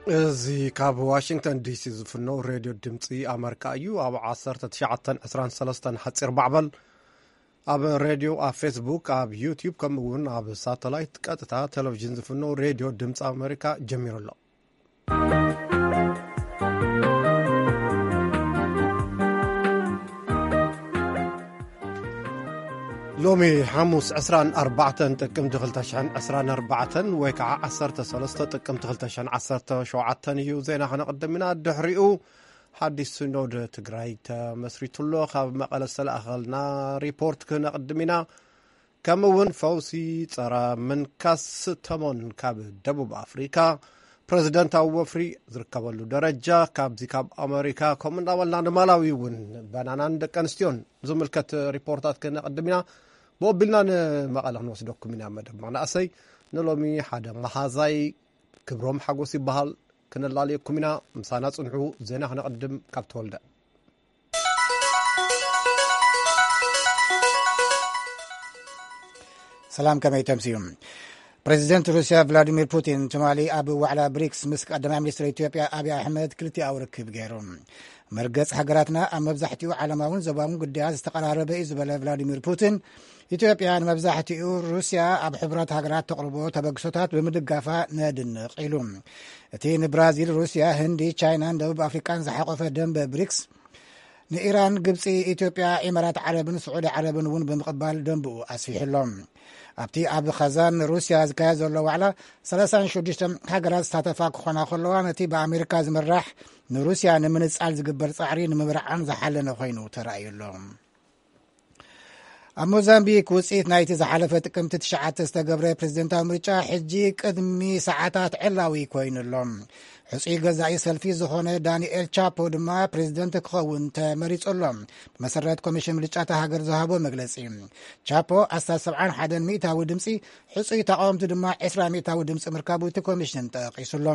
እዚ ካብ ዋሽንግተን ዲሲ ዝፍኖ ሬድዮ ድምፂ ኣመሪካ እዩ። ኣብ ዓሰርተ ትሽዓተ ዕስራን ሰለስተን ሓፂር ማዕበል፣ ኣብ ሬድዮ፣ ኣብ ፌስቡክ፣ ኣብ ዩቲዩብ፣ ከምኡ እውን ኣብ ሳተላይት ቀጥታ ቴሌቪዥን ዝፍኖ ሬድዮ ድምፂ ኣመሪካ ጀሚሩ ኣሎ። ሎሚ ሓሙስ ዕስራን ኣርባዕተን ጥቅምቲ ክልተ ሽሕን ዕስራን ኣርባዕተን ወይ ከዓ ዓሰርተ ሰለስተ ጥቅምቲ ክልተ ሽሕን ዓሰርተ ሸውዓተን እዩ። ዜና ከነቕድም ኢና። ድሕሪኡ ሓዲስ ሲኖድ ትግራይ ተመስሪቱ ኣሎ። ካብ መቐለ ዝተላእኸልና ሪፖርት ክነቕድም ኢና። ከምኡ እውን ፈውሲ ጸረ ምንካስ ተሞን ካብ ደቡብ ኣፍሪካ፣ ፕረዚደንታዊ ወፍሪ ዝርከበሉ ደረጃ ካብዚ ካብ ኣመሪካ፣ ከምኡ እናበልና ንማላዊ እውን ባናናን ደቂ ኣንስትዮን ዝምልከት ሪፖርታት ክነቕድም ኢና። ብኦቢልና ንመቐለ ክንወስደኩም ኢና። መደብ መናእሰይ ንሎሚ ሓደ መሃዛይ ክብሮም ሓጎስ ይበሃል። ክነላልየኩም ኢና። ምሳና ጽንሑ። ዜና ክነቕድም ካብ ተወልደ። ሰላም፣ ከመይ ተምስዩ? ፕሬዚደንት ሩስያ ቭላዲሚር ፑቲን ትማሊ ኣብ ዋዕላ ብሪክስ ምስ ቀዳማይ ሚኒስትር ኢትዮጵያ ኣብይ ኣሕመድ ክልቲኣዊ ርክብ ገይሩ። መርገጽ ሃገራትና ኣብ መብዛሕትኡ ዓለማውን ዞባውን ጉዳያት ዝተቐራረበ እዩ ዝበለ ቭላዲሚር ፑቲን፣ ኢትዮጵያ ንመብዛሕትኡ ሩስያ ኣብ ሕቡራት ሃገራት ተቕርቦ ተበግሶታት ብምድጋፋ ነድንቕ ኢሉ። እቲ ንብራዚል፣ ሩስያ፣ ህንዲ፣ ቻይናን ደቡብ ኣፍሪቃን ዝሓቆፈ ደንበ ብሪክስ ንኢራን፣ ግብጺ፣ ኢትዮጵያ፣ ኢማራት ዓረብን ስዑዲ ዓረብን እውን ብምቕባል ደንብኡ ኣስፊሑ ኣሎ። ኣብቲ ኣብ ኻዛን ሩስያ ዝካየድ ዘሎ ዋዕላ ሰላሳን ሽዱሽተ ሃገራት ዝሳተፋ ክኾና ከለዋ፣ ነቲ ብኣሜሪካ ዝምራሕ ንሩስያ ንምንጻል ዝግበር ጻዕሪ ንምብርዓን ዝሓለነ ኮይኑ ተራእዩ ኣሎ። ኣብ ሞዛምቢክ ውጽኢት ናይቲ ዝሓለፈ ጥቅምቲ ትሽዓተ ዝተገብረ ፕሬዝደንታዊ ምርጫ ሕጂ ቅድሚ ሰዓታት ዕላዊ ኮይኑ ኣሎ። ሕጹይ ገዛኢ ሰልፊ ዝኾነ ዳንኤል ቻፖ ድማ ፕሬዝደንት ክኸውን ተመሪጹ ኣሎ። ብመሰረት ኮሚሽን ምርጫ እታ ሃገር ዝሃቦ መግለጺ፣ ቻፖ ኣስታት ሰብዓን ሓደን ሚእታዊ ድምጺ፣ ሕጹይ ተቃወምቲ ድማ ዕስራ ሚእታዊ ድምጺ ምርካቡ እቲ ኮሚሽን ጠቂሱ ኣሎ።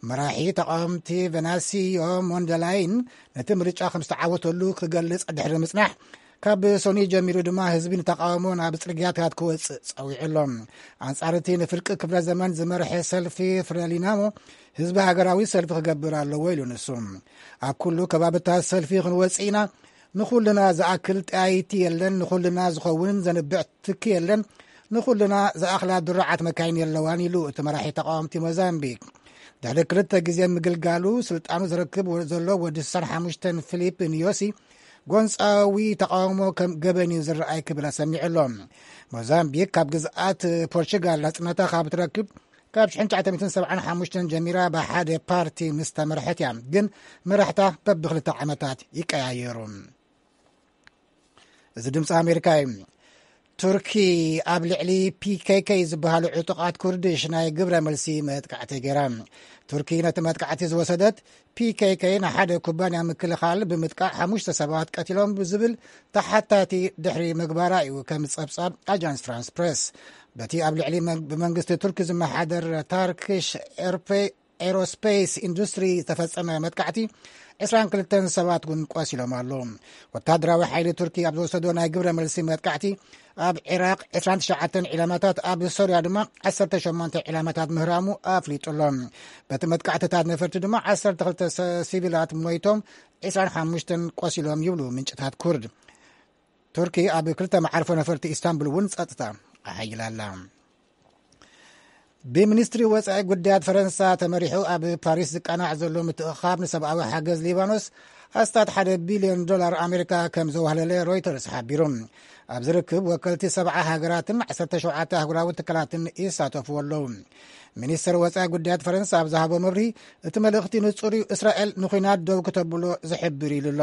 መራሒ ተቃወምቲ ቨናሲዮ ሞንደላይን ነቲ ምርጫ ከም ዝተዓወተሉ ክገልጽ ድሕሪ ምጽናሕ፣ ካብ ሶኒ ጀሚሩ ድማ ህዝቢ ንተቃውሞ ናብ ጽርግያታት ክወጽእ ጸዊዑ ኣሎ። ኣንጻር እቲ ንፍርቂ ክፍለ ዘመን ዝመርሐ ሰልፊ ፍረሊናሞ፣ ህዝቢ ሃገራዊ ሰልፊ ክገብር ኣለዎ ኢሉ ንሱ። ኣብ ኩሉ ከባብታት ሰልፊ ክንወጽእ ኢና። ንኹልና ዝኣክል ጠያይቲ የለን፣ ንኹልና ዝኸውን ዘንብዕ ትኪ የለን፣ ንኹልና ዝኣኽላ ድሩዓት መካይን የለዋን ኢሉ እቲ መራሒ ተቃወምቲ ሞዛምቢክ። ድሕሪ ክልተ ግዜ ምግልጋሉ ስልጣኑ ዝረክብ ዘሎ ወዲ ስሳን ሓሙሽተን ፊሊፕ ኒዮሲ ጎንጻዊ ተቃውሞ ከም ገበን እዩ ዝረኣይ ክብል ኣሰሚዑ ኣሎ። ሞዛምቢክ ካብ ግዝኣት ፖርቹጋል ናጽነታ ካብ ትረክብ ካብ ሽሕን ትሽዓተ ሚእትን ሰብዓን ሓሙሽተን ጀሚራ ብሓደ ፓርቲ ምስ ተመርሐት እያ። ግን መራሕታ በብክልተ ዓመታት ይቀያየሩ። እዚ ድምፂ ኣሜሪካ እዩ። ቱርኪ ኣብ ልዕሊ ፒ ኬ ኬ ዝበሃሉ ዕጡቓት ኩርድሽ ናይ ግብረ መልሲ መጥቃዕቲ ገይራ። ቱርኪ ነቲ መጥቃዕቲ ዝወሰደት፣ ፒ ኬ ኬ ንሓደ ኩባንያ ምክልኻል ብምጥቃዕ ሓሙሽተ ሰባት ቀቲሎም ብዝብል ተሓታቲ ድሕሪ ምግባራ እዩ፣ ከም ጸብጻብ ኣጃንስ ፍራንስ ፕሬስ። በቲ ኣብ ልዕሊ መን-፣ ብመንግስቲ ቱርኪ ዝመሓደር ታርክሽ ኤርፔ-፣ ኤሮስፔስ ኢንዱስትሪ ዝተፈጸመ መጥቃዕቲ ዕስራን ክልተን ሰባት እውን ቆሲሎም ኣለዉ። ወታደራዊ ሓይሊ ቱርኪ ኣብ ዝወሰዶ ናይ ግብረ መልሲ መጥቃዕቲ ኣብ ዒራቕ ዕስራን ትሽዓተን ዒላማታት፣ ኣብ ሶርያ ድማ ዓሰርተ ሸሞንተ ዒላማታት ምህራሙ ኣፍሊጡ ኣሎ። በቲ መጥቃዕትታት ነፈርቲ ድማ ዓሰርተ ክልተ ሰ-፣ ሲቪላት ሞይቶም፣ ዕስራን ሓሙሽተን ቆሲሎም ይብሉ ምንጭታት ኩርድ። ቱርኪ ኣብ ክልተ መዓርፎ ነፈርቲ ኢስታንቡል እውን ጸጥታ ኣሓይላ ኣላ። ብሚኒስትሪ ወጻኢ ጉዳያት ፈረንሳ ተመሪሑ ኣብ ፓሪስ ዝቃናዕ ዘሎ ምትእኻብ ንሰብኣዊ ሓገዝ ሊባኖስ ኣስታት ሓደ ቢልዮን ዶላር ኣሜሪካ ከም ዘዋህለለ ሮይተርስ ሓቢሩ። ኣብዚ ርክብ ወከልቲ ሰብዓ ሃገራትን ዓሰርተ ሸውዓተ ኣህጉራዊ ትካላትን ይሳተፉ ኣለዉ። ሚኒስትር ወጻኢ ጉዳያት ፈረንሳ ኣብ ዝሃቦ መብርሂ፣ እቲ መልእኽቲ ንጹር እዩ፣ እስራኤል ንኹናት ደው ክተብሎ ዝሕብር ኢሉ ኣሎ።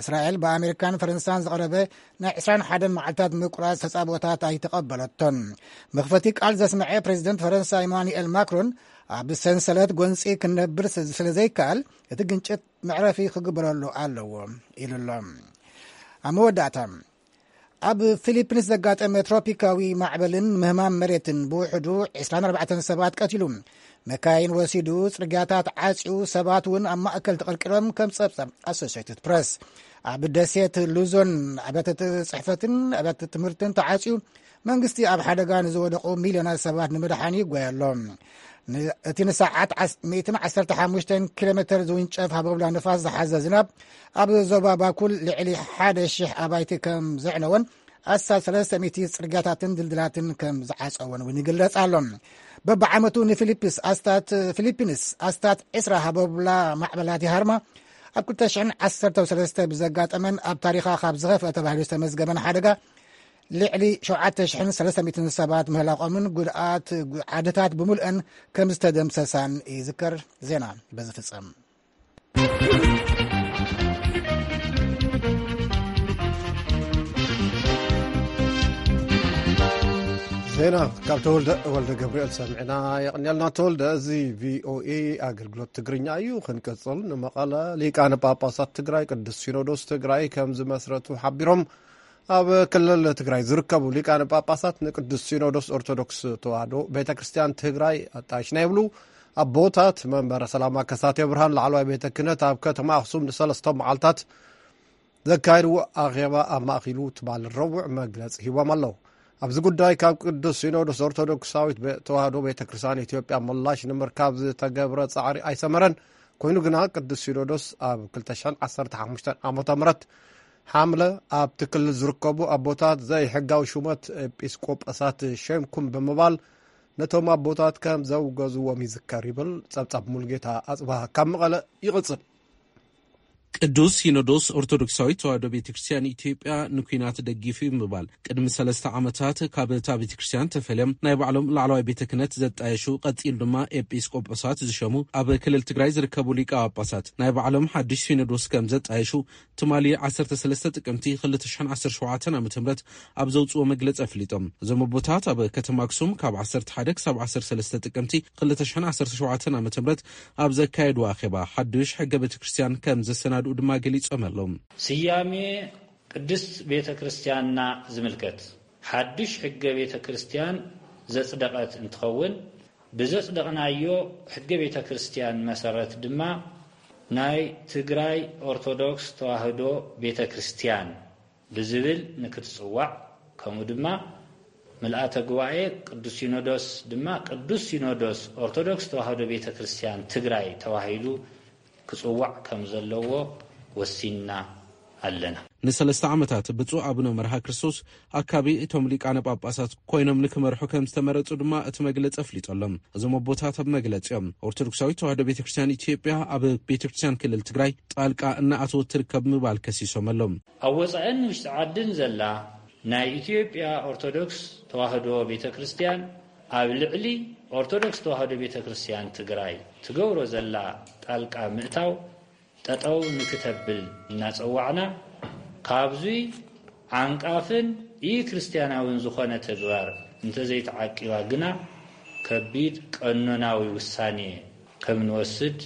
እስራኤል ብኣሜሪካን ፈረንሳን ዝቐረበ ናይ ዕስራን ሓደን መዓልታት ምቁራጽ ተጻብኦታት ኣይተቐበለቶን። መኽፈቲ ቃል ዘስምዐ ፕሬዚደንት ፈረንሳ ኢማኑኤል ማክሮን፣ ኣብ ሰንሰለት ጎንጺ ክንነብር ስለ ዘይከኣል፣ እቲ ግንጭት መዕረፊ ክግበረሉ ኣለዎ ኢሉ ኣሎ። ኣብ መወዳእታ፣ ኣብ ፊሊፒንስ ዘጋጠመ ትሮፒካዊ ማዕበልን ምህማም መሬትን ብውሕዱ ዕስራን ኣርባዕተን ሰባት ቀቲሉ፣ መካይን ወሲዱ፣ ጽርግያታት ዓጽዩ፣ ሰባት እውን ኣብ ማእከል ተቐርቂሮም፣ ከም ጸብጻብ ኣሶሽየትድ ፕረስ። ኣብ ደሴት ሉዞን ኣብያተ ጽሕፈትን ኣብያተ ትምህርትን ተዓጽዩ፣ መንግስቲ ኣብ ሓደጋ ንዝወደቑ ሚልዮናት ሰባት ንምድሓን ይጓየ ኣሎ። እቲ ንሰዓት ሚእትን ዓሰርተ ሓሙሽተን ኪሎ ሜተር ዝውንጨፍ ሃቦብላ ንፋስ ዝሓዘ ዝናብ ኣብ ዞባ ባኩል ልዕሊ ሓደ ሽሕ ኣባይቲ ከም ዘዕነወን ኣስታት ሰለስተ ሚእቲ ጽርግያታትን ድልድላትን ከም ዝዓጸወን እውን ይግለጽ ኣሎ። በብዓመቱ ንፊሊፕስ ኣስታት ፊሊፒንስ ኣስታት ዕስራ ሃቦብላ ማዕበላት ይሃርማ። ኣብ ክልተ ሽሕን ዓሰርተ ሰለስተ ብዘጋጠመን ኣብ ታሪኻ ካብ ዝኸፍአ ተባሂሉ ዝተመዝገበን ሓደጋ ልዕሊ ሸውዓተ ሽሕን ሰለስተ ሚእትን ሰባት ምህላቖምን ጉድኣት ዓድታት ብምልእን ከም ዝተደምሰሳን ይዝከር። ዜና በዚ ፍጸም። ዜና ካብ ተወልደ ወልደ ገብርኤል ሰሚዕና። የቕንየልና ተወልደ። እዚ ቪኦኤ ኣገልግሎት ትግርኛ እዩ። ክንቅጽል፣ ንመቐለ ሊቃነ ጳጳሳት ትግራይ ቅዱስ ሲኖዶስ ትግራይ ከም ዝመስረቱ ሓቢሮም። ኣብ ክልል ትግራይ ዝርከቡ ሊቃነ ጳጳሳት ንቅዱስ ሲኖዶስ ኦርቶዶክስ ተዋህዶ ቤተ ክርስቲያን ትግራይ ኣጣይሽና ይብሉ። ኣቦታት መንበረ ሰላማ ከሳቴ ብርሃን ላዕለዋይ ቤተ ክህነት ኣብ ከተማ ኣኽሱም ንሰለስተ መዓልታት ዘካየድዎ ኣኼባ ኣማእኪሉ ትማል ረቡዕ መግለጺ ሂቦም ኣለዉ። ኣብዚ ጉዳይ ካብ ቅዱስ ሲኖዶስ ኦርቶዶክሳዊት ቤ- ተዋህዶ ቤተ ክርስቲያን ኢትዮጵያ ምላሽ ንምርካብ ዝተገብረ ጻዕሪ ኣይሰመረን። ኮይኑ ግና ቅዱስ ሲኖዶስ ኣብ ክልተ ሽሕን ዓሰርተ ሓሙሽተን ዓመተ ምህረት ሓምለ ኣብቲ ክልል ዝርከቡ ኣቦታት ዘይሕጋዊ ሹመት ኤጲስቆጶሳት ሸምኩም ብምባል ነቶም ኣቦታት ከም ዘውገዝዎም ይዝከር ይብል። ጸብጻብ ሙልጌታ ኣጽብሃ ካብ መቐለ ይቕጽል። ቅዱስ ሲኖዶስ ኦርቶዶክሳዊት ተዋህዶ ቤተ ክርስቲያን ኢትዮጵያ ንኲናት ደጊፉ እዩ ብምባል ቅድሚ ሰለስተ ዓመታት ካብ እታ ቤተ ክርስቲያን ተፈልዮም ናይ ባዕሎም ላዕለዋይ ቤተ ክህነት ዘጣየሹ፣ ቀጺሉ ድማ ኤጲስቆጶሳት ዝሸሙ ኣብ ክልል ትግራይ ዝርከቡ ሊቀ ጳጳሳት ናይ ባዕሎም ሓድሽ ሲኖዶስ ከም ዘጣየሹ ትማሊ ዓሰርተ ሰለስተ ጥቅምቲ ክልተ ሽሕን ዓሰርተ ሸውዓተን ዓመተ ምህረት ኣብ ዘውፅዎ መግለፂ ኣፍሊጦም። እዞም ኣቦታት ኣብ ከተማ ኣክሱም ካብ ዓሰርተ ሓደ ክሳብ ዓሰርተ ሰለስተ ጥቅምቲ ክልተ ሽሕን ዓሰርተ ሸውዓተን ዓመተ ምህረት ኣብ ዘካየድዎ ኣኼባ ሓዱሽ ሕገ ቤተ ክርስቲያን ከም ዘሰናድኡ ድማ ገሊጾም ኣለዉ። ስያሜ ቅድስት ቤተ ክርስቲያንና ዝምልከት ሓዱሽ ሕገ ቤተ ክርስቲያን ዘጽደቐት እንትኸውን፣ ብዘጽደቕናዮ ሕገ ቤተ ክርስቲያን መሰረት ድማ ናይ ትግራይ ኦርቶዶክስ ተዋህዶ ቤተ ክርስቲያን ብዝብል ንክትጽዋዕ፣ ከምኡ ድማ ምልኣተ ጉባኤ ቅዱስ ሲኖዶስ ድማ ቅዱስ ሲኖዶስ ኦርቶዶክስ ተዋህዶ ቤተ ክርስቲያን ትግራይ ተባሂሉ ክጽዋዕ ከም ዘለዎ ወሲንና ኣለና። ንሰለስተ ዓመታት ብፁዕ ኣቡነ መርሃ ክርስቶስ ኣካቢ እቶም ሊቃነ ጳጳሳት ኮይኖም ንክመርሑ ከም ዝተመረጹ ድማ እቲ መግለጺ ኣፍሊጡ ኣሎ። እዞም ኣቦታት ኣብ መግለጺኦም ኦርቶዶክሳዊት ተዋህዶ ቤተ ክርስቲያን ኢትዮጵያ ኣብ ቤተ ክርስቲያን ክልል ትግራይ ጣልቃ እናኣተወት ትርከብ ምባል ከሲሶም ኣለዉ። ኣብ ወጻእን ውሽጢ ዓድን ዘላ ናይ ኢትዮጵያ ኦርቶዶክስ ተዋህዶ ቤተ ክርስቲያን ኣብ ልዕሊ ኦርቶዶክስ ተዋህዶ ቤተ ክርስቲያን ትግራይ ትገብሮ ዘላ ጣልቃ ምእታው ጠጠው ንክተብል እናጸዋዕና፣ ካብዙይ ዓንቃፍን ኢ-ክርስቲያናውን ዝኾነ ተግባር እንተዘይተዓቂባ ግና ከቢድ ቀኖናዊ ውሳኔ ከም ንወስድ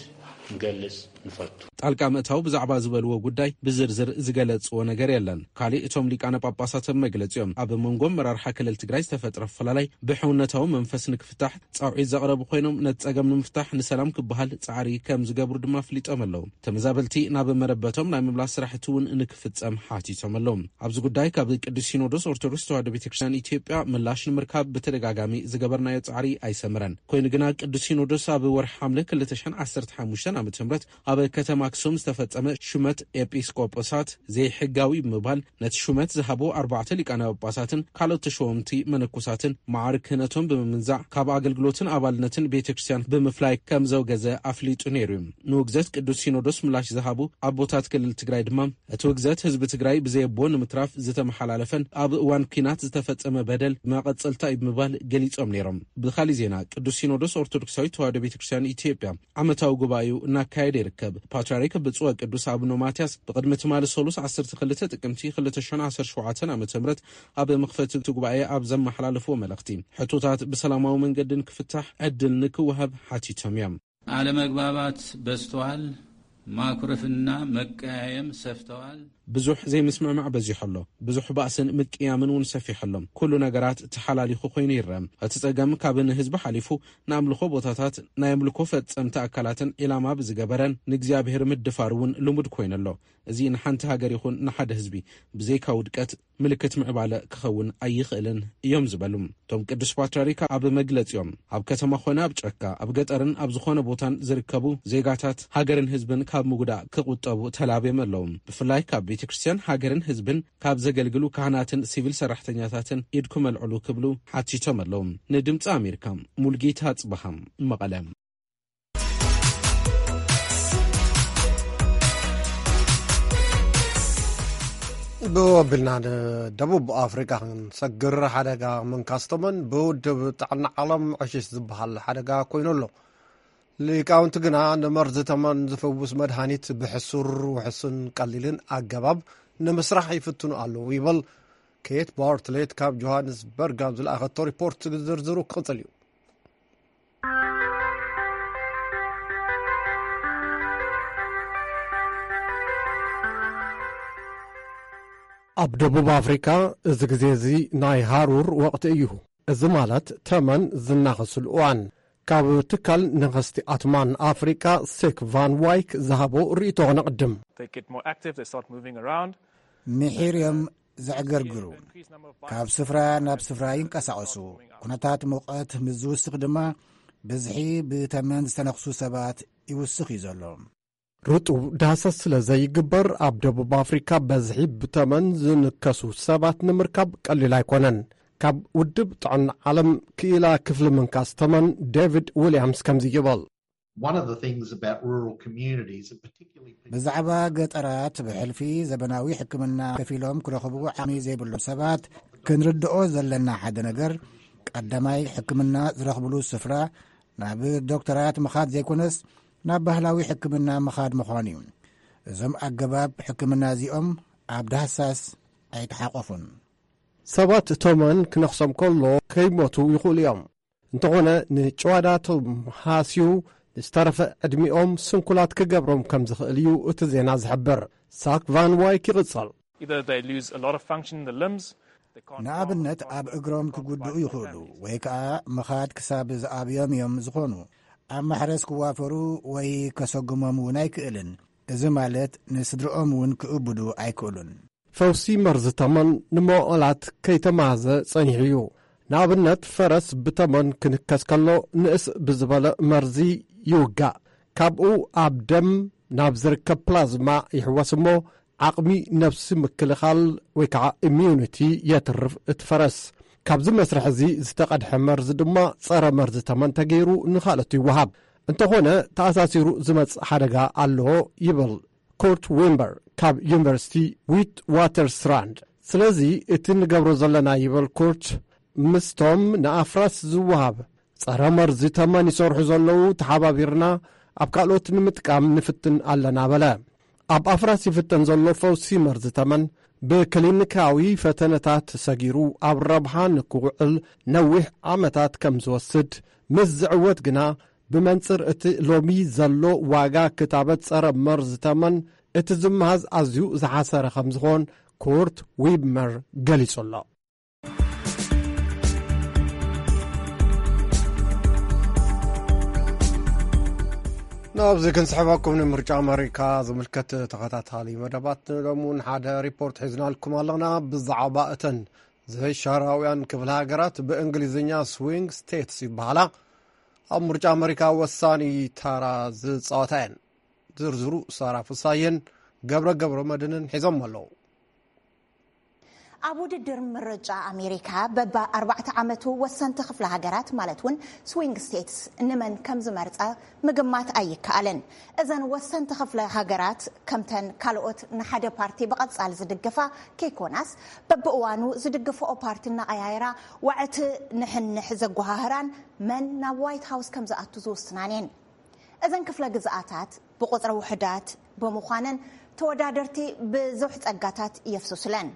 ንገልጽ ንፈቱ። ጣልቃ ምእታው ብዛዕባ ዝበልዎ ጉዳይ ብዝርዝር ዝገለጽዎ ነገር የለን። ካሊእ እቶም ሊቃነ ጳጳሳት ኣብ መግለጺኦም ኣብ መንጎ ኣመራርሓ ክልል ትግራይ ዝተፈጥረ ኣፈላላይ ብሕውነታዊ መንፈስ ንክፍታሕ ጻውዒት ዘቕረቡ ኮይኖም ነቲ ጸገም ንምፍታሕ ንሰላም ክበሃል ጻዕሪ ከም ዝገብሩ ድማ ኣፍሊጦም ኣለዉ። ተመዛበልቲ ናብ መረበቶም ናይ ምምላስ ስራሕቲ እውን ንክፍጸም ሓቲቶም ኣለዉ። ኣብዚ ጉዳይ ካብ ቅዱስ ሲኖዶስ ኦርቶዶክስ ተዋህዶ ቤተክርስትያን ኢትዮጵያ ምላሽ ንምርካብ ብተደጋጋሚ ዝገበርናዮ ጻዕሪ ኣይሰምረን። ኮይኑ ግና ቅዱስ ሲኖዶስ ኣብ ወርሒ ሓምለ ክልተ ሽሕን ዓሰርተ ሓሙሽተን ዓመተ ምህረት ኣብ ከተማ ኣክሱም ዝተፈጸመ ሹመት ኤጲስቆጶሳት ዘይሕጋዊ ብምባል ነቲ ሹመት ዝሃቡ ኣርባዕተ ሊቃነ ጳጳሳትን ካልኦት ተሸወምቲ መነኮሳትን መዓርግ ክህነቶም ብምምንዛዕ ካብ ኣገልግሎትን ኣባልነትን ቤተ ክርስቲያን ብምፍላይ ከም ዘውገዘ ኣፍሊጡ ነይሩ እዩ። ንውግዘት ቅዱስ ሲኖዶስ ምላሽ ዝሃቡ ኣቦታት ክልል ትግራይ ድማ እቲ ውግዘት ህዝቢ ትግራይ ብዘየቦ ንምትራፍ ዝተመሓላለፈን ኣብ እዋን ኲናት ዝተፈጸመ በደል መቐጸልታ እዩ ብምባል ገሊጾም ነይሮም። ብኻሊእ ዜና ቅዱስ ሲኖዶስ ኦርቶዶክሳዊት ተዋህዶ ቤተ ክርስቲያን ኢትዮጵያ ዓመታዊ ጉባኤኡ እናካየደ ይርከብ። ፓትርያርክ ብፁዕ ወቅዱስ ኣቡነ ማትያስ ብቕድሚ ትማሊ ሰሉስ ዓሰርተ ክልተ ጥቅምቲ ክልተ ሽሕን ዓሰርተ ሸውዓተን ዓመተ ምህረት ኣብ መኽፈቲ እቲ ጉባኤ ኣብ ዘመሓላለፍዎ መልእኽቲ ሕቶታት ብሰላማዊ መንገዲ ንክፍታሕ ዕድል ንክወሃብ ሓቲቶም እዮም። አለመግባባት በዝተዋል፣ ማኩረፍና መቀያየም ሰፍተዋል። ብዙሕ ዘይምስምዕማዕ በዚሑ ኣሎ። ብዙሕ ባእስን ምቅያምን እውን ሰፊሑ ኣሎ። ኩሉ ነገራት ተሓላሊኹ ኮይኑ ይረአ። እቲ ጸገም ካብ ንህዝቢ ሓሊፉ ንኣምልኾ ቦታታት፣ ናይ ኣምልኮ ፈጸምቲ ኣካላትን ዒላማ ብዝገበረን ንእግዚኣብሔር ምድፋር እውን ልሙድ ኮይኑ ኣሎ። እዚ ንሓንቲ ሃገር ይኹን ንሓደ ህዝቢ ብዘይካ ውድቀት ምልክት ምዕባለ ክኸውን ኣይኽእልን እዮም ዝበሉ እቶም ቅዱስ ፓትርያርክ ኣብ መግለጺኦም፣ ኣብ ከተማ ኾነ ኣብ ጫካ፣ ኣብ ገጠርን ኣብ ዝኾነ ቦታን ዝርከቡ ዜጋታት ሃገርን ህዝብን ካብ ምጉዳእ ክቑጠቡ ተላብዮም ኣለዉ። ብፍላይ ካብ ቤተ ክርስቲያን ሃገርን ህዝብን ካብ ዘገልግሉ ካህናትን ሲቪል ሰራሕተኛታትን ኢድኩም ኣልዕሉ ክብሉ ሓቲቶም ኣለዉ። ንድምፂ ኣሜሪካ፣ ሙልጌታ ጽበሃ፣ መቐለ። ብወቢልና ንደቡብ ኣፍሪቃ ክንሰግር፣ ሓደጋ ምንካስ ተመን ብውድብ ጥዕና ዓለም ዕሽሽ ዝበሃል ሓደጋ ኮይኑ ኣሎ። ሊቃውንቲ ግና ንመርዚ ተመን ዝፍውስ መድሃኒት ብሕሱር፣ ውሕሱን ቀሊልን ኣገባብ ንምስራሕ ይፍትኑ ኣለዉ ይብል። ኬት ባርትሌት ካብ ጆሃንስበርግ ኣብ ዝለኣኸቶ ሪፖርት ዝርዝሩ ክቕጽል እዩ። ኣብ ደቡብ ኣፍሪካ እዚ ግዜ እዚ ናይ ሃሩር ወቕቲ እዩ። እዚ ማለት ተመን ዝናኸስሉ እዋን። ካብ ትካል ነኸስቲ ኣትማን ኣፍሪቃ ሴክ ቫን ዋይክ ዝሃቦ ርእይቶ ክነቕድም። They get more active, they start moving around. ምሒር እዮም ዘዕገርግሩ። ካብ ስፍራ ናብ ስፍራ ይንቀሳቐሱ። ኩነታት ሙቐት ምስ ዝውስኽ ድማ ብዝሒ ብተመን ዝተነኽሱ ሰባት ይውስኽ እዩ ዘሎ። ርጡብ ዳህሰስ ስለ ዘይግበር፣ ኣብ ደቡብ ኣፍሪካ በዝሒ ብተመን ዝንከሱ ሰባት ንምርካብ ቀሊል ኣይኮነን። ካብ ውድብ ጥዕና ዓለም ክኢላ ክፍሊ ምንካስ ተመን ዴቪድ ዊልያምስ ከምዚ ይብል። One of the things about rural communities, and particularly people ብዛዕባ ገጠራት ብሕልፊ ዘበናዊ ሕክምና ከፊሎም ክረኽቡ ዓቕሚ ዘይብሎም ሰባት ክንርድኦ ዘለና ሓደ ነገር፣ ቀዳማይ ሕክምና ዝረኽብሉ ስፍራ ናብ ዶክተራት ምኻድ ዘይኮነስ ናብ ባህላዊ ሕክምና ምኻድ ምዃኑ እዩ። እዞም ኣገባብ ሕክምና እዚኦም ኣብ ዳህሳስ ኣይተሓቆፉን። ሰባት ተመን ክነኽሶም ከሎ ከይሞቱ ይኽእሉ እዮም። እንተኾነ ንጭዋዳቶም ሃስዩ ንዝተረፈ ዕድሚኦም ስንኩላት ክገብሮም ከም ዝኽእል እዩ እቲ ዜና ዝሕብር። ሳክ ቫን ዋይክ ይቕጽል። Either they lose a lot of function in the limbs, they can't ንኣብነት ኣብ እግሮም ክጉድኡ ይኽእሉ ወይ ከዓ ምኻድ ክሳብ ዝኣብዮም እዮም ዝኾኑ። ኣብ ማሕረስ ክዋፈሩ ወይ ከሰጉሞም እውን ኣይክእልን። እዚ ማለት ንስድርኦም እውን ክእብዱ ኣይክእሉን። ፈውሲ መርዚ ተመን ንመዋእላት ከይተማሃዘ ጸኒሑ እዩ። ንኣብነት ፈረስ ብተመን ክንከስ ከሎ ንእስ ብዝበለ መርዚ ይውጋእ። ካብኡ ኣብ ደም ናብ ዝርከብ ፕላዝማ ይሕወስ እሞ ዓቕሚ ነብሲ ምክልኻል ወይ ከዓ ኢሚዩኒቲ የትርፍ እቲ ፈረስ። ካብዚ መስርሕ እዚ ዝተቐድሐ መርዚ ድማ ጸረ መርዚ ተመን ተገይሩ ንኻልኦት ይወሃብ። እንተኾነ ተኣሳሲሩ ዝመጽእ ሓደጋ ኣለዎ ይብል ኩርት ዊምበር ካብ ዩኒቨርሲቲ ዊት ዋተርስራንድ። ስለዚ እቲ ንገብሮ ዘለና ይብል ኩርት ምስቶም ንኣፍራስ ዝወሃብ ጸረ መርዚ ተመን ይሰርሑ ዘለዉ ተሓባቢርና ኣብ ካልኦት ንምጥቃም ንፍትን ኣለና በለ። ኣብ ኣፍራስ ይፍተን ዘሎ ፈውሲ መርዚ ተመን ብክሊኒካዊ ፈተነታት ሰጊሩ ኣብ ረብሓ ንክውዕል ነዊሕ ዓመታት ከም ዝወስድ ምስ ዝዕወት ግና ብመንጽር እቲ ሎሚ ዘሎ ዋጋ ክታበት ጸረ መርዚ ተመን እቲ ዝመሃዝ ኣዝዩ ዝሓሰረ ከም ዝኾን ኩርት ዊብመር ገሊጹ ኣሎ። ናብዚ ክንስሕበኩም ንምርጫ ኣመሪካ ዝምልከት ተኸታታሊ መደባት ንሎሚ እውን ሓደ ሪፖርት ሒዝናልኩም ኣለና። ብዛዕባ እተን ዘይሻራውያን ክፍለ ሃገራት ብእንግሊዝኛ ስዊንግ ስቴትስ ይበሃላ ኣብ ምርጫ ኣመሪካ ወሳኒ ታራ ዝጻወታ እየን። ዝርዝሩ ሳራ ፍሳየን ገብረ ገብረ መድንን ሒዞም ኣለዉ። ኣብ ውድድር ምርጫ ኣሜሪካ በባ ኣርባዕተ ዓመቱ ወሰንቲ ክፍለ ሃገራት ማለት እውን ስዊንግ ስቴትስ ንመን ከም ዝመርጻ ምግማት ኣይከኣልን። እዘን ወሰንቲ ክፍለ ሃገራት ከምተን ካልኦት ንሓደ ፓርቲ ብቐጻል ዝድግፋ ከይኮናስ በብእዋኑ ዝድግፍኦ ፓርቲ እናቐያየራ ዋዕቲ ንሕንሕ ዘጓሃህራን መን ናብ ዋይት ሃውስ ከም ዝኣቱ ዝውስናን እየን። እዘን ክፍለ ግዝኣታት ብቁጽሪ ውሑዳት ብምዃነን ተወዳደርቲ ብዙሕ ጸጋታት የፍስሱለን።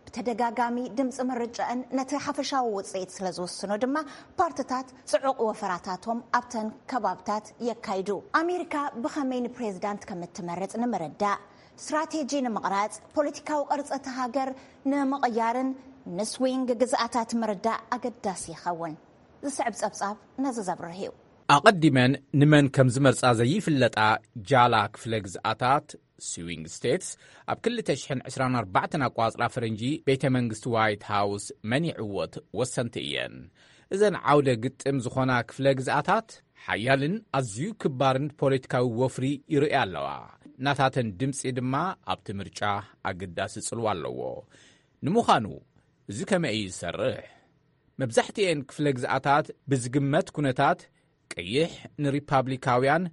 ብተደጋጋሚ ድምፂ ምርጫእን ነቲ ሓፈሻዊ ውፅኢት ስለ ዝውስኖ ድማ ፓርትታት ፅዑቕ ወፈራታቶም ኣብተን ከባብታት የካይዱ። ኣሜሪካ ብኸመይ ንፕሬዝዳንት ከም እትመርፅ ንምርዳእ ስትራቴጂ ንምቕራጽ፣ ፖለቲካዊ ቅርጺ እቲ ሃገር ንምቕያርን ንስዊንግ ግዝኣታት ምርዳእ ኣገዳሲ ይኸውን። ዝስዕብ ጸብጻብ ነዚ ዘብርህ እዩ። ኣቐዲመን ንመን ከም ዝመርጻ ዘይፍለጣ ጃላ ክፍለ ግዝኣታት፣ ስዊንግ ስቴትስ፣ ኣብ ክልተ ሽሕን ዕስራን ኣርባዕተን ኣቋጽራ ፈረንጂ ቤተ መንግስቲ ዋይት ሃውስ መን ይዕወት ወሰንቲ እየን። እዘን ዓውደ ግጥም ዝኾና ክፍለ ግዝኣታት ሓያልን ኣዝዩ ክባርን ፖለቲካዊ ወፍሪ ይርእያ ኣለዋ። ናታተን ድምጺ ድማ ኣብቲ ምርጫ ኣገዳሲ ጽልዋ ኣለዎ። ንምዃኑ እዚ ከመይ እዩ ዝሰርሕ? መብዛሕትኤን ክፍለ ግዝኣታት ብዝግመት ኩነታት ቀይሕ ንሪፓብሊካውያን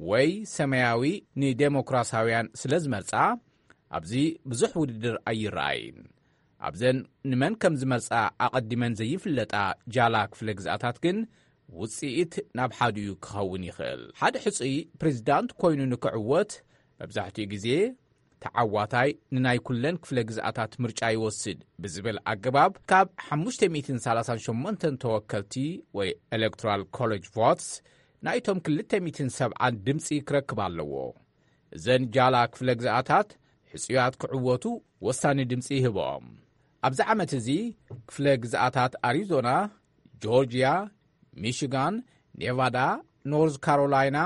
ወይ ሰማያዊ ንዴሞክራሲያውያን ስለ ዝመርጻ ኣብዚ ብዙሕ ውድድር ኣይረኣይን። ኣብዘን ንመን ከም ዝመርጻ ኣቐዲመን ዘይፍለጣ ጃላ ክፍለ ግዝኣታት ግን ውጽኢት ናብ ሓዲኡ ክኸውን ይኽእል። ሓደ ሕጹይ ፕሬዚዳንት ኮይኑ ንክዕወት መብዛሕትኡ ግዜ ተዓዋታይ ንናይ ኩለን ክፍለ ግዝኣታት ምርጫ ይወስድ ብዝብል ኣገባብ ካብ ሓሙሽተ ሚእትን ሰላሳን ሸሞንተን ተወከልቲ ወይ ኤሌክቶራል ኮሌጅ ቮትስ ናይቶም ክልተ ሚእትን ሰብዓን ድምፂ ክረክብ ኣለዎ። እዘን ጃላ ክፍለ ግዝኣታት ሕጹያት ክዕወቱ ወሳኒ ድምፂ ይህብኦም። ኣብዚ ዓመት እዚ ክፍለ ግዝኣታት ኣሪዞና፣ ጆርጅያ፣ ሚሽጋን፣ ኔቫዳ፣ ኖርዝ ካሮላይና፣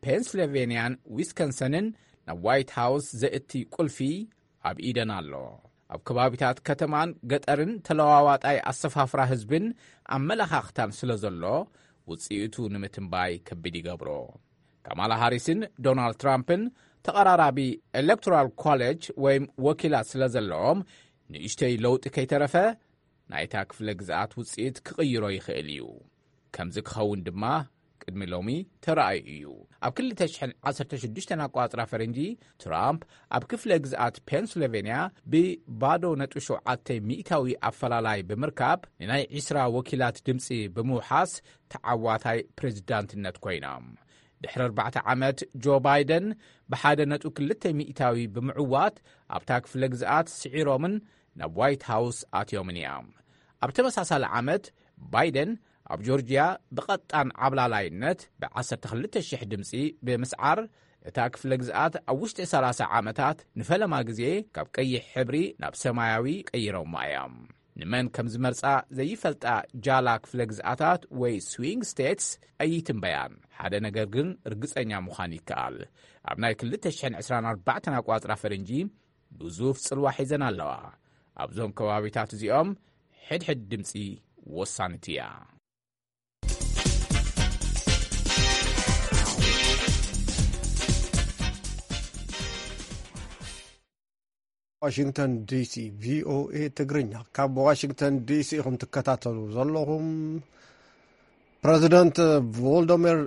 ፔንስልቬንያን ዊስከንሰንን ናብ ዋይት ሃውስ ዘእቲ ቁልፊ ኣብ ኢደን ኣሎ። ኣብ ከባቢታት ከተማን ገጠርን ተለዋዋጣይ ኣሰፋፍራ ህዝብን ኣመለኻኽታን ስለ ዘሎ ውፅኢቱ ንምትንባይ ከቢድ ይገብሮ። ካማላ ሃሪስን ዶናልድ ትራምፕን ተቐራራቢ ኤሌክቶራል ኮሌጅ ወይም ወኪላት ስለ ዘለዎም ንእሽተይ ለውጢ ከይተረፈ ናይታ ክፍለ ግዝኣት ውፅኢት ክቕይሮ ይኽእል እዩ። ከምዚ ክኸውን ድማ ቅድሚ ሎሚ ተራእዩ እዩ። ኣብ ክልተ ሽሕን ዓሰርተ ሽዱሽተን ኣቋጽራ ፈረንጂ ትራምፕ ኣብ ክፍለ ግዝኣት ፔንስልቬንያ ብባዶ ነጥቢ ሸውዓተ ሚእታዊ ኣፈላላይ ብምርካብ ንናይ ዒስራ ወኪላት ድምፂ ብምውሓስ ተዓዋታይ ፕሬዚዳንትነት ኮይኖም። ድሕሪ ኣርባዕተ ዓመት ጆ ባይደን ብሓደ ነጥቢ ክልተ ሚእታዊ ብምዕዋት ኣብታ ክፍለ ግዝኣት ስዒሮምን ናብ ዋይት ሃውስ ኣትዮምን እዮም። ኣብ ተመሳሳሊ ዓመት ባይደን ኣብ ጆርጅያ ብቐጣን ዓብላላይነት ብ ዓሰርተ ክልተ ሽሕ ድምፂ ብምስዓር እታ ክፍለ ግዝኣት ኣብ ውሽጢ ሰላሳ ዓመታት ንፈለማ ግዜ ካብ ቀይሕ ሕብሪ ናብ ሰማያዊ ቀይሮማ እዮም። ንመን ከም ዝመርጻ ዘይፈልጣ ጃላ ክፍለ ግዝኣታት ወይ ስዊንግ ስቴትስ ኣይትንበያን። ሓደ ነገር ግን ርግጸኛ ምዃን ይከኣል። ኣብ ናይ ክልተ ሽሕን ዕስራን ኣርባዕተን ኣቋጽራ ፈረንጂ ግዙፍ ጽልዋ ሒዘን ኣለዋ። ኣብዞም ከባቢታት እዚኦም ሕድሕድ ድምጺ ወሳኒት እያ። ዋሽንግተን ዲሲ፣ ቪኦኤ ትግርኛ። ካብ ዋሽንግተን ዲሲ ኢኹም ትከታተሉ ዘለኹም። ፕረዚደንት ቮልዶሚር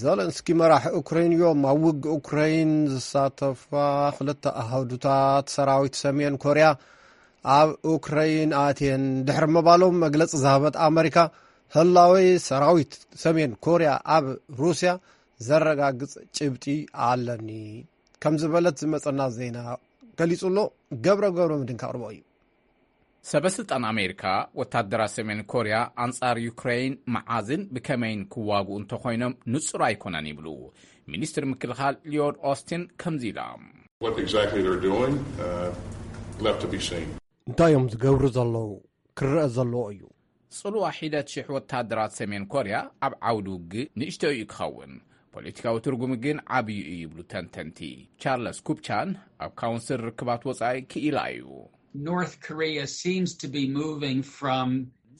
ዘለንስኪ መራሕ ኡክረይን እዮም። ኣብ ውግእ ኡክረይን ዝሳተፋ ክልተ ኣሃዱታት ሰራዊት ሰሜን ኮርያ ኣብ ኡክረይን ኣትየን ድሕሪ ምባሎም መግለፂ ዝሃበት ኣመሪካ፣ ህላወ ሰራዊት ሰሜን ኮርያ ኣብ ሩስያ ዘረጋግፅ ጭብጢ ኣለኒ ከም ዝበለት ዝመፀና ዜና ገሊፁ ኣሎ። ገብረ ገብረ ምድን ከቕርቦ እዩ። ሰበ ስልጣን ኣሜሪካ ወታደራት ሰሜን ኮርያ ኣንጻር ዩክሬን መዓዝን ብከመይን ክዋግኡ እንተኾይኖም ንጹር ኣይኮነን ይብሉ። ሚኒስትር ምክልኻል ሊዮድ ኦስቲን ከምዚ ኢሎም። What exactly they're doing uh, left to be seen. እንታይ እዮም ዝገብሩ ዘለዉ ክረአ ዘለዎ እዩ። ጽልዋ ሒደት ሽሕ ወታደራት ሰሜን ኮርያ ኣብ ዓውዲ ውግእ ንእሽቶ እዩ ክኸውን፣ ፖለቲካዊ ትርጉሙ ግን ዓብዩ እዩ ይብሉ ተንተንቲ። ቻርለስ ኩፕቻን ኣብ ካውንስል ርክባት ወጻኢ ክኢላ እዩ። North Korea seems to be moving from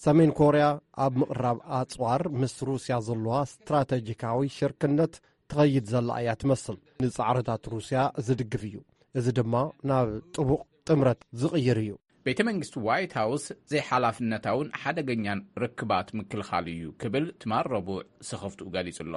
ሰሜን ኮርያ ኣብ ምቕራብ ኣጽዋር ምስ ሩስያ ዘለዋ ስትራተጂካዊ ሽርክነት ትኸይድ ዘላ እያ ትመስል። ንጻዕርታት ሩስያ ዝድግፍ እዩ። እዚ ድማ ናብ ጥቡቕ ጥምረት ዝቕይር እዩ። ቤተ መንግስቲ ዋይት ሃውስ ዘይሓላፍነታውን ሓደገኛን ርክባት ምክልኻል እዩ ክብል ትማል ረቡዕ ስኽፍትኡ ገሊጹ ኣሎ።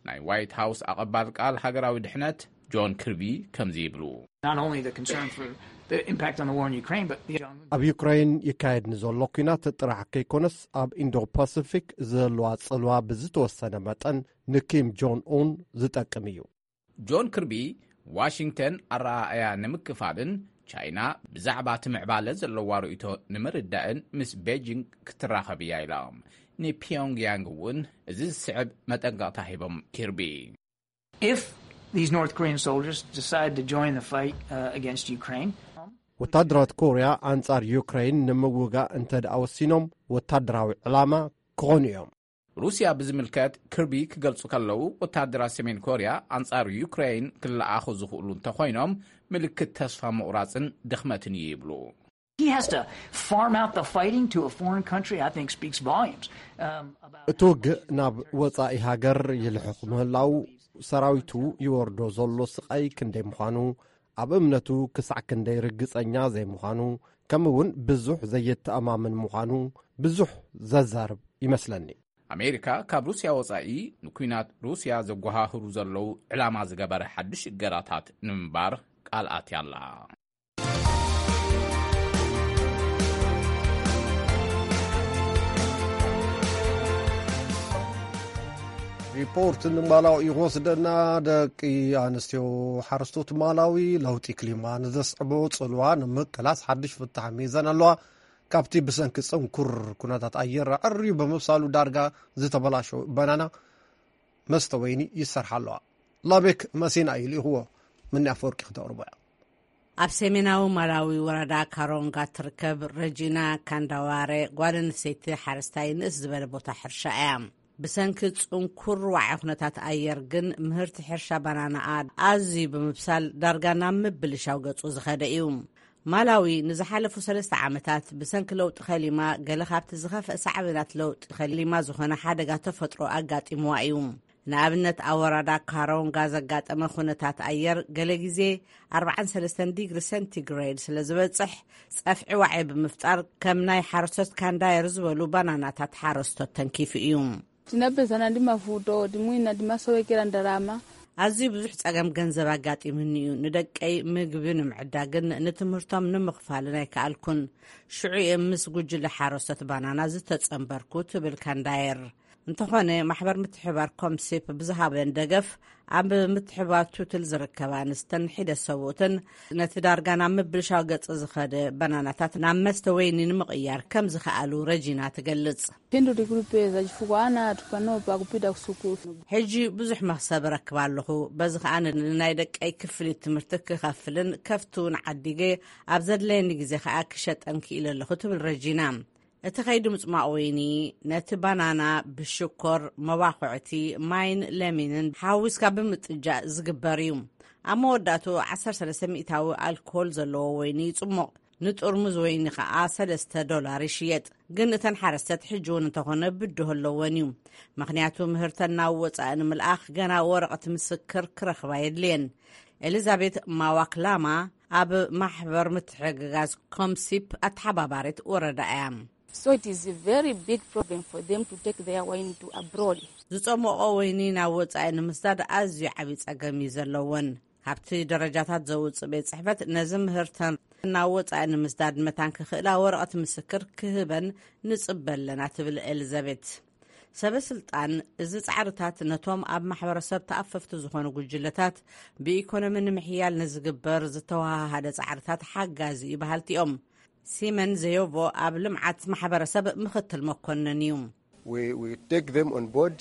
ናይ ዋይት ሃውስ ኣቐባል ቃል ሃገራዊ ድሕነት ጆን ክርቢ ከምዚ ይብሉ። Not only the concern for the impact on the war in Ukraine, but the ኣብ ዩክራይን ይካየድ ንዘሎ ኲናት ጥራሕ ከይኮነስ ኣብ ኢንዶ ፓሲፊክ ዘለዋ ጽልዋ ብዝተወሰነ መጠን ንኪም ጆን ኡን ዝጠቅም እዩ። ጆን ክርቢ ዋሽንግተን ኣረኣእያ ንምክፋልን ቻይና ብዛዕባ እቲ ምዕባለ ዘለዋ ርእይቶ ንምርዳእን ምስ ቤጂንግ ክትራኸብ እያ ኢሎም። ንፒዮንግያንግ እውን እዚ ዝስዕብ መጠንቀቕታ ሂቦም ኪርቢ። If These North Korean soldiers decide to join the fight uh, against Ukraine. ወታደራት ኮርያ ኣንጻር ዩክሬን ንምውጋእ እንተ ደኣ ወሲኖም፣ ወታደራዊ ዕላማ ክኾኑ እዮም። ሩስያ ብዝምልከት ክርቢ ክገልጹ ከለዉ፣ ወታደራት ሰሜን ኮርያ ኣንጻር ዩክሬን ክለኣኹ ዝኽእሉ እንተኾይኖም፣ ምልክት ተስፋ ምቑራጽን ድኽመትን እዩ ይብሉ። He has to farm out the fighting to a foreign country, I think speaks volumes. Um, about እቲ ውግእ ናብ ወጻኢ ሃገር ይልሕኽ ምህላው፣ ሰራዊቱ ይወርዶ ዘሎ ስቓይ ክንደይ ምዃኑ፣ ኣብ እምነቱ ክሳዕ ክንደይ ርግጸኛ ዘይምዃኑ፣ ከምኡ እውን ብዙሕ ዘየተኣማምን ምዃኑ ብዙሕ ዘዛርብ ይመስለኒ። ኣሜሪካ ካብ ሩስያ ወጻኢ ንኲናት ሩስያ ዘጓሃህሩ ዘለዉ ዕላማ ዝገበረ ሓድሽ እገዳታት ንምንባር ቃል ኣትያ ኣላ። ሪፖርት ንማላዊ እዩ ክወስደና። ደቂ ኣንስትዮ ሓረስቶት ማላዊ ለውጢ ክሊማ ንዘስዕቦ ጽልዋ ንምቅላስ ሓድሽ ፍታሕ ሚዘን ኣለዋ። ካብቲ ብሰንኪ ጽንኩር ኩነታት ኣየር ኣዕርዩ ብምብሳሉ ዳርጋ ዝተበላሸወ በናና መስተ ወይኒ ይሰርሓ ኣለዋ። ላቤክ መሲና እዩ ልኢኽዎ። ምኒ ኣፈወርቂ ክተቕርቦ እያ። ኣብ ሰሜናዊ ማላዊ ወረዳ ካሮንጋ ትርከብ ረጂና ካንዳዋረ ጓል ኣንስተይቲ ሓረስታይ ንእስ ዝበለ ቦታ ሕርሻ እያ። ብሰንኪ ጽንኩር ዋዒ ኩነታት ኣየር ግን ምህርቲ ሕርሻ ባናናኣ ኣዝዩ ብምብሳል ዳርጋ ናብ ምብልሻው ገጹ ዝኸደ እዩ። ማላዊ ንዝሓለፉ ሰለስተ ዓመታት ብሰንኪ ለውጢ ከሊማ ገለ ካብቲ ዝኸፍአ ሳዕቤናት ለውጢ ከሊማ ዝኾነ ሓደጋ ተፈጥሮ ኣጋጢምዋ እዩ። ንኣብነት ኣብ ወረዳ ካሮንጋ ዘጋጠመ ኩነታት ኣየር ገለ ግዜ ኣርባዓን ሰለስተን ዲግሪ ሴንቲግሬድ ስለ ዝበጽሕ ጸፍዒ ዋዒ ብምፍጣር ከም ናይ ሓረስቶት ካንዳየር ዝበሉ ባናናታት ሓረስቶት ተንኪፉ እዩ። Tinapeza nandi mavuto, timwina timasowekera ndalama. ኣዝዩ ብዙሕ ጸገም ገንዘብ ኣጋጢሙኒ እዩ። ንደቀይ ምግቢ ንምዕዳግን ንትምህርቶም ንምኽፋልን ኣይከኣልኩን። ሽዑ እየ ምስ ጉጅለ ሓረስቶት ባናና ዝተጸንበርኩ ትብል ካንዳየር። እንተኾነ ማሕበር ምትሕባር ኮምሲፕ ብዝሃበን ደገፍ ኣብ ምትሕባር ቱትል ዝርከባ ኣንስተን ሒደ ሰብኡትን ነቲ ዳርጋ ናብ ምብልሻው ገጽ ዝኸደ ባናናታት ናብ መስተ ወይኒ ንምቕያር ከም ዝኸኣሉ ረጂና ትገልጽ። Phindu tikuli peza chifukwa ana athu panopa akupita kusukulu. ሕጂ ብዙሕ መኽሰብ ረክብ ኣለኹ። በዚ ከኣ ንናይ ደቀይ ክፍሊት ትምህርቲ ክኸፍልን ከፍቲ እውን ዓዲገ ኣብ ዘድለየኒ ግዜ ከኣ ክሸጠን ክኢለ ኣለኹ ትብል ረጂና። እቲ ከይዲ ምጽማቕ ወይኒ ነቲ ባናና ብሽኮር፣ መባኹዕቲ፣ ማይን ለሚንን ሓዊስካ ብምጥጃእ ዝግበር እዩ። ኣብ መወዳእቱ ዓሰርተ ሰለስተ ሚእታዊ ኣልኮል ዘለዎ ወይኒ ይጽሞቕ። ንጥርሙዝ ወይኒ ከኣ ሰለስተ ዶላር ይሽየጥ። ግን እተን ሓረስተት ሕጂ እውን እንተኾነ ብድሆ ኣለወን እዩ። ምኽንያቱ ምህርተን ናብ ወጻኢ ንምልኣኽ ገና ወረቐት ምስክር ክረኽባ የድልየን። ኤሊዛቤት ማዋክላማ ኣብ ማሕበር ምትሕግጋዝ ኮምሲፕ ኣተሓባባሪት ወረዳ እያ። So it is a very big problem for them to take their wine to abroad. ዝጸሞቖ ወይኒ ናብ ወጻኢ ንምስዳድ ኣዝዩ ዓብዪ ጸገም እዩ ዘለወን። ካብቲ ደረጃታት ዘውጽእ ቤት ጽሕፈት ነዚ ምህርተን ናብ ወጻኢ ንምስዳድ መታን ክኽእላ ወረቐት ምስክር ክህበን ንጽበ ኣለና ትብል ኤሊዛቤት። ሰበ ስልጣን እዚ ጻዕርታት ነቶም ኣብ ማሕበረሰብ ተኣፈፍቲ ዝኾኑ ጉጅለታት ብኢኮኖሚ ንምሕያል ንዝግበር ዝተወሃሃደ ጻዕርታት ሓጋዚ እዩ በሃልቲ እዮም። ሲመን ዘዮቮ ኣብ ልምዓት ማሕበረሰብ ምኽትል መኮነን እዩ። We, we take them on board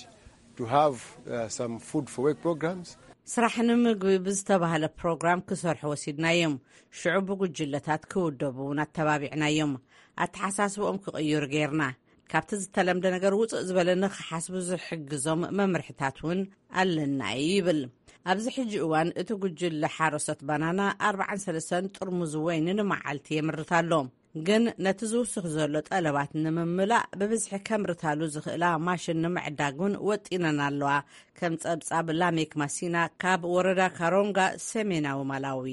to have uh, some food for work programs. ስራሕ ንምግቢ ብዝተባህለ ፕሮግራም ክሰርሑ ወሲድናዮም። ሽዑ ብጉጅለታት ክውደቡ እውን ኣተባቢዕናዮም። ኣተሓሳስብኦም ክቕይሩ ጌርና። ካብቲ ዝተለምደ ነገር ውፅእ ዝበለ ንክሓስቡ ዝሕግዞም መምርሕታት እውን ኣለና እዩ ይብል። ኣብዚ ሕጂ እዋን እቲ ጉጅለ ሓረሶት ባናና ኣርባዓን ሰለስተን ጥርሙዝ ወይኒ ንመዓልቲ የምርት ኣሎ። ግን ነቲ ዝውስኽ ዘሎ ጠለባት ንምምላእ ብብዝሒ ከምርታሉ ዝኽእላ ማሽን ንምዕዳግ እውን ወጢነን ኣለዋ። ከም ጸብጻብ ላሜክ ማሲና ካብ ወረዳ ካሮንጋ ሰሜናዊ ማላዊ።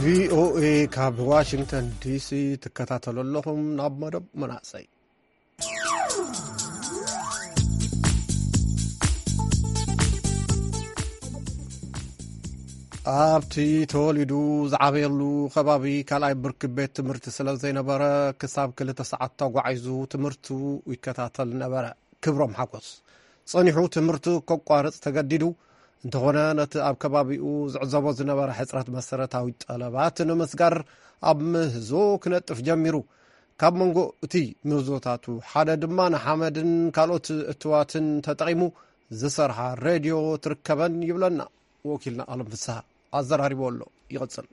ቪኦኤ ካብ ዋሽንግተን ዲሲ ትከታተሉ ኣለኹም። ናብ መደብ መናእሰይ። ኣብቲ ተወሊዱ ዝዓበየሉ ከባቢ ካልኣይ ብርኪ ቤት ትምህርቲ ስለ ዘይነበረ፣ ክሳብ ክልተ ሰዓት ተጓዒዙ ትምህርቱ ይከታተል ነበረ። ክብሮም ሓጎስ ጸኒሑ ትምህርቱ ከቋርጽ ተገዲዱ። እንተኾነ፣ ነቲ ኣብ ከባቢኡ ዝዕዘቦ ዝነበረ ሕጽረት መሰረታዊ ጠለባት ንምስጋር ኣብ ምህዞ ክነጥፍ ጀሚሩ። ካብ መንጎ እቲ ምህዞታቱ ሓደ ድማ ንሓመድን ካልኦት እትዋትን ተጠቒሙ ዝሰርሓ ሬድዮ ትርከበን ይብለና ወኪልና ኣለም ፍስሃ። ኣዘራሪቦ ኣሎ። ይቕጽል።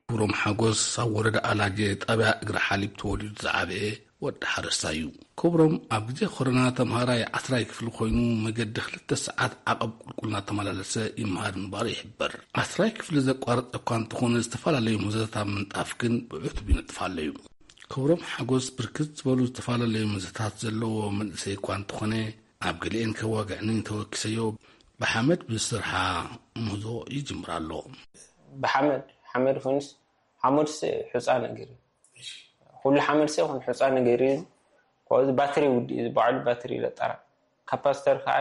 ክብሮም ሓጎስ ኣብ ወረዳ ኣላጀ ጣብያ እግሪ ሓሊብ ተወሊዱ ዝዓበየ ወዲ ሓረስታይ እዩ። ክብሮም ኣብ ግዜ ኮሮና ተምሃራይ ዓስራይ ክፍሊ ኮይኑ መገዲ ክልተ ሰዓት ዓቐብ ቁልቁል እናተመላለሰ ይመሃር ምንባሩ ይሕበር። ዓስራይ ክፍሊ ዘቋረፀ እኳ እንተኾነ ዝተፈላለዩ ምህዞታት ኣብ ምንጣፍ ግን ብዕቱብ ይነጥፍ ኣሎ እዩ። ክብሮም ሓጎስ ብርክት ዝበሉ ዝተፈላለዩ ምህዞታት ዘለዎ መንእሰይ እኳ እንተኾነ ኣብ ገሊኤን ከዋግዕኒ ተወኪሰዮ ብሓመድ ብዝሰርሓ ምህዞ ይጅምር ኣሎ። ብሓመድ ሓመድ ኮይኑስ ሓመድስ ሑፃ ነገር እዩ። ኩሉ ሓመድስ ይኹን ሑፃ ነገር እዩ። ካብዚ ባትሪ ውዲ እዩ፣ ባዕሉ ባትሪ ይለጠራ። ካፓስተር ከዓ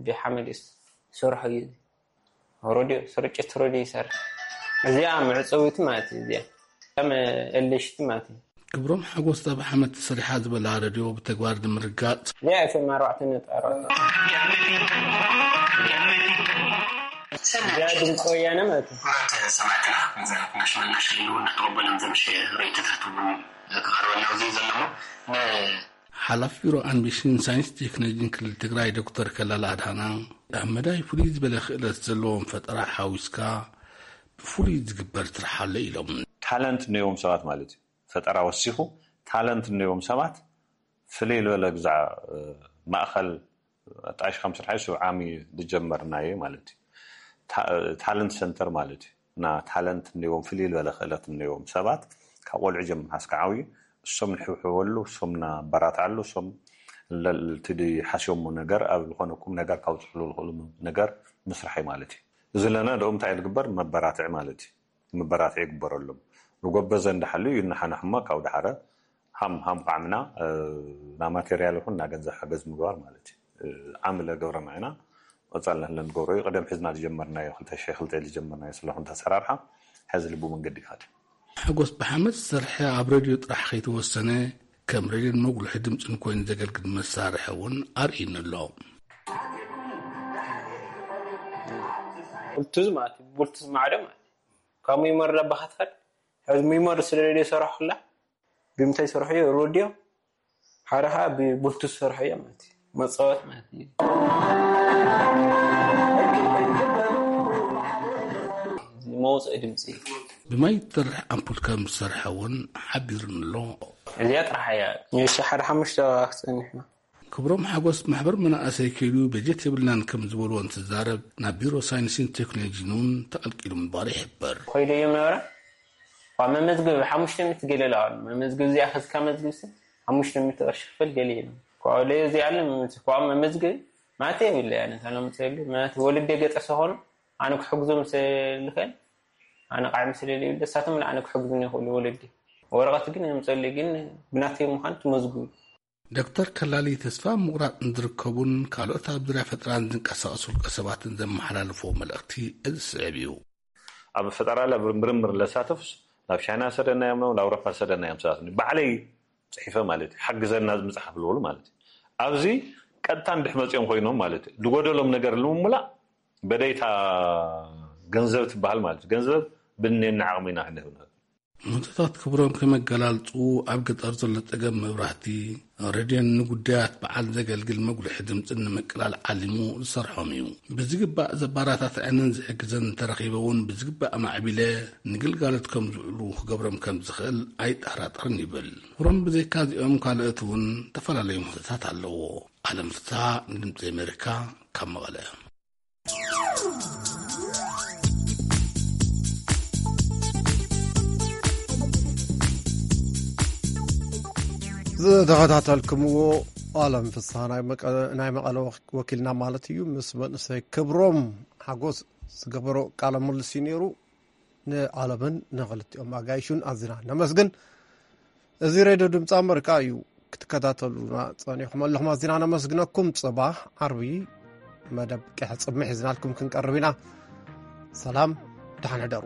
ብሓመድ ይሰርሖ እዩ። ሮድዮ ስርጭት ሮድዮ ይሰርሕ። እዚኣ መዕፀዊት ማለት እዩ። እዚኣ ከም ኤልሽቲ ማለት እዩ። ክብሮም ሓጎስ ኣብ ሓመድ ተሰሪሓ ዝበላ ረድዮ ብተግባር ንምርጋፅ እዚኣ ኤፍኤም ኣርባዕተ ነጥቢ ኣርባዕተ እዚኣ ድምፂ ወያነ ማለት እዩ። ክቡራት ሰማዕትና፣ መዛረብትና ሽመና ሽሊሉ እናተቐበሎም ዘምሸ ርእይቶታት እውን ክቐርበልና ኣብዚ ዘሎ ን ሓላፊ ቢሮ ኣንቢሽን ሳይንስ ቴክኖሎጂን ክልል ትግራይ ዶክተር ከላል ኣድሃና ኣብ መዳይ ፍሉይ ዝበለ ክእለት ዘለዎም ፈጠራ ሓዊስካ ብፍሉይ ዝግበር ስራሕ ኣሎ ኢሎም። ታለንት እነዎም ሰባት ማለት እዩ። ፈጠራ ወሲኹ ታለንት እነዎም ሰባት ፍልይ ዝበለ ግዛዕ ማእኸል ኣጣይሽካ ምስራሕ እዩ። ስብዓሚ ዝጀመርናዮ ማለት እዩ። ታለንት ሰንተር ማለት እዩ። እና ታለንት እነዎም ፍልይ ዝበለ ክእለት እነዎም ሰባት ካብ ቆልዑ ጀምር ሃስካ ዓብዩ እሶም ንሕብሕበሉ እሶም ናበራትዓሉ እሶም ለልትዲ ሓስዮሞ ነገር ኣብ ዝኾነ ቁም ነገር ካውፅሕሉ ዝኽእሉ ነገር ምስራሕ እዩ ማለት እዩ። እዚ ለና ደኦም እንታይ ዝግበር መበራትዒ ማለት እዩ። መበራትዒ ይግበረሎም። ንጎበዘ እንዳሓሉ እዩ እናሓናሕማ ካብ ዳሓረ ሃም ሃም ቃዕምና ና ማቴርያል ይኹን ና ገንዘብ ሓገዝ ምግባር ማለት እዩ። ዓምለ ገብረ ማዕና ወፃልና ለንገብሮ እዩ። ቀደም ሒዝና ዝጀመርናዮ ክልተ ሺሕ ክልተ ዝጀመርናዮ ስለኹን ተሰራርሓ ሕዚ ልቡ መንገዲ ይኸድ። ሓጎስ ብሓመድ ዝሰርሐ ኣብ ሬድዮ ጥራሕ ከይተወሰነ ከም ሬድዮን መጉልሒ ድምፅን ኮይኑ ዘገልግል መሳርሒ እውን ኣርእይኒ ኣሎ። ብሉቱዝ ማለት እዩ። ብሉቱዝ ማዕዶ ማለት እዩ። ካብ ሚሞሪ ዳባኻ ትኸድ ሕዚ ሚሞሪ ስለ ሬድዮ ሰራሕኩላ ብምንታይ ዝሰርሑ እዮም? ሮድዮ ሓደ ከዓ ብቡልቱዝ ዝሰርሑ እዮም ማለት እዩ። መፃወት ማለት እዩ። መውፅኢ ድምፂ እዩ። ብማይ ትሰርሕ ኣምፑል ከም ዝሰርሐ እውን ሓቢሩኒ ኣሎ። እዚኣ ጥራሕ እያ። እሺ ሓደ ሓሙሽተ ክፀንሕ ኢና። ክብሮም ሓጎስ ማሕበር መናእሰይ ከይዱ በጀት የብልናን ከም ዝበልዎ እንትዛረብ ናብ ቢሮ ሳይንስን ቴክኖሎጂን እውን ተቐልቂሉ ምንባሩ ይሕበር። ኮይደዮም ነበረ ካብ መመዝገቢ ሓሙሽተ ሚእቲ ገለ ለኣሉ መመዝገቢ እዚኣ ከዝካ መዝግብ ሲ ሓሙሽተ ሚእቲ ቅርሺ ክፈል ገለ ኢሉ ካብኡ ለዮ እዚኣ ኣለ ካብ መመዝገቢ ማተ የብለ ያነ ታለምፀሉ ማለት ወልደ ገጠ ሰኾኑ ኣነ ክሕግዞም ስለልኽእል ኣነ ቃዕሚ ስለለይብለ እሳቶም ኣነ ክሕግዙኒ ይኽእሉ ወለዲ ወረቐት ግን የምፀሉ ግን ብናተይ ምዃን ትመዝግቡ ዶክተር ከላሊ ተስፋ ምቑራጽ ንዝርከቡን ካልኦት ኣብ ዙርያ ፈጠራን ዝንቀሳቐሱ ውልቀ ሰባትን ዘመሓላልፍዎ መልእኽቲ እዚ ዝስዕብ እዩ። ኣብ ፈጠራ ላብ ምርምር ለሳተፉስ ናብ ቻይና ሰደናዮም ነው፣ ናብ ኣውሮፓ ሰደናዮም ሰባት ባዕለይ ጽሒፈ ማለት እዩ። ሓግዘና ምጽሓፍ ዝበሉ ማለት እዩ። ኣብዚ ቀጥታ እንድሕ መጺኦም ኮይኖም ማለት እዩ። ዝጎደሎም ነገር ንምምላእ በደይታ ገንዘብ ትበሃል ማለት እዩ። ገንዘብ ብኔና ዓቕሚ ኢና ክንህብ ንኽእል። ምህቶታት ክብሮም ከም ኣገላልጽኡ፣ ኣብ ገጠር ዘሎ ጸገም መብራህቲ፣ ሬድዮን ንጉዳያት በዓል ዘገልግል መጉልሒ ድምጽን ንምቅላል ዓሊሙ ዝሰርሖም እዩ። ብዝግባእ ዘባራታትዐንን ዝሕግዘን እንተረኺበ እውን ብዝግባእ ኣማዕቢለ ንግልጋሎት ከም ዝውዕሉ ክገብሮም ከም ዝኽእል ኣይጠራጠርን ይብል። ክብሮም ብዘይካ እዚኦም ካልኦት እውን ዝተፈላለዩ ምህቶታት ኣለዎ። ኣለም ፍስሃ ንድምጺ ኣሜሪካ ካብ መቐለ። ዝተኸታተልኩምዎ ኣለም ፍስሃ ናይ መቐለ ወኪልና ማለት እዩ ምስ መንእሰይ ክብሮም ሓጎስ ዝገበሮ ቃለ ምልልስ እዩ ነይሩ። ንኣለምን ንኽልቲኦም ኣጋይሹን ኣዝና ነመስግን። እዚ ሬድዮ ድምፂ ኣመሪካ እዩ። ክትከታተሉና ፀኒኹም ኣለኹም ኣዝና ነመስግነኩም። ፅባሕ ዓርቢ መደብ ቅሕ ፅምሕ ሒዝናልኩም ክንቀርብ ኢና። ሰላም፣ ደሓን ሕደሩ።